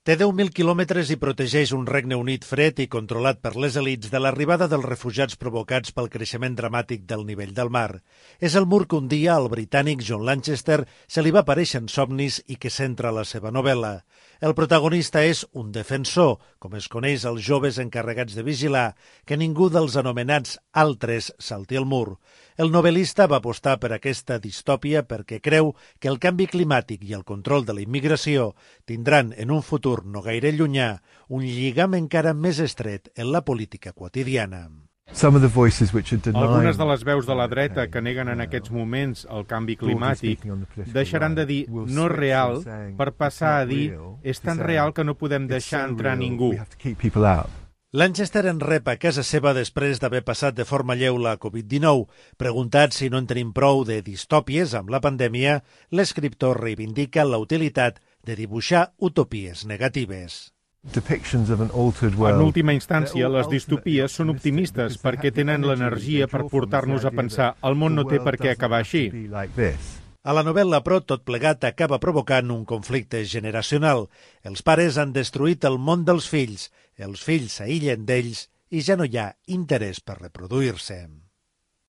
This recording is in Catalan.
Té 10.000 quilòmetres i protegeix un Regne Unit fred i controlat per les elits de l'arribada dels refugiats provocats pel creixement dramàtic del nivell del mar. És el mur que un dia al britànic John Lanchester se li va aparèixer en somnis i que centra la seva novel·la. El protagonista és un defensor, com es coneix als joves encarregats de vigilar, que ningú dels anomenats altres salti el mur. El novel·lista va apostar per aquesta distòpia perquè creu que el canvi climàtic i el control de la immigració tindran en un futur no gaire llunyà un lligam encara més estret en la política quotidiana. Algunes de les veus de la dreta que neguen en aquests moments el canvi climàtic deixaran de dir no és real per passar a dir és tan real que no podem deixar entrar ningú. Lanchester en rep a casa seva després d'haver passat de forma lleu la Covid-19. Preguntat si no en tenim prou de distòpies amb la pandèmia, l'escriptor reivindica la utilitat de dibuixar utopies negatives. En última instància, les distopies són optimistes perquè tenen l'energia per portar-nos a pensar el món no té per què acabar així. A la novel·la, però, tot plegat acaba provocant un conflicte generacional. Els pares han destruït el món dels fills, els fills s'aïllen d'ells i ja no hi ha interès per reproduir-se.